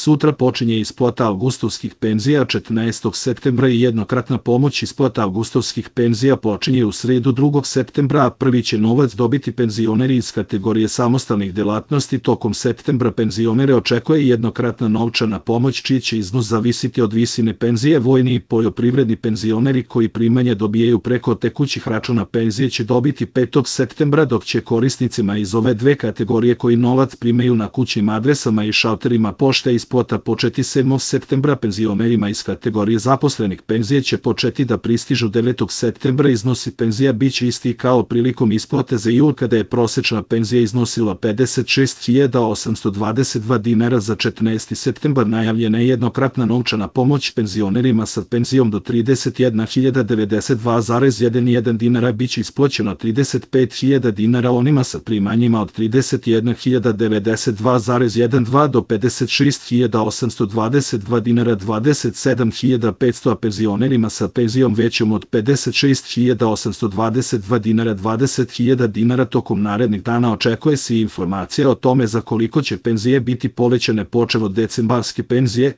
Sutra počinje isplata avgustovskih penzija 14. septembra i jednokratna pomoć isplata avgustovskih penzija počinje u sredu 2. septembra, a prvi će novac dobiti penzioneri iz kategorije samostalnih delatnosti. Tokom septembra penzionere očekuje jednokratna novčana pomoć čiji će iznos zavisiti od visine penzije. Vojni i poljoprivredni penzioneri koji primanje dobijaju preko tekućih računa penzije će dobiti 5. septembra, dok će korisnicima iz ove dve kategorije koji novac primaju na kućnim adresama i šalterima pošte isplata početi 7. septembra. Penzionerima iz kategorije zaposlenih penzije će početi da pristižu 9. septembra. Iznosi penzija biće isti kao prilikom isplate za jul, kada je prosečna penzija iznosila 56.822 dinara. Za 14. septembar najavljena je jednokratna novčana pomoć penzionerima sa penzijom do 31.092,11 dinara biće isplaćeno 35.000 dinara, onima sa primanjima od 31.092,12 do 56.822 dinara 27.500, a penzionerima sa penzijom većom od 56.822 dinara 20.000 dinara. Tokom narednih dana očekuje se informacija o tome za koliko će penzije biti povećane počev od decembarske penzije.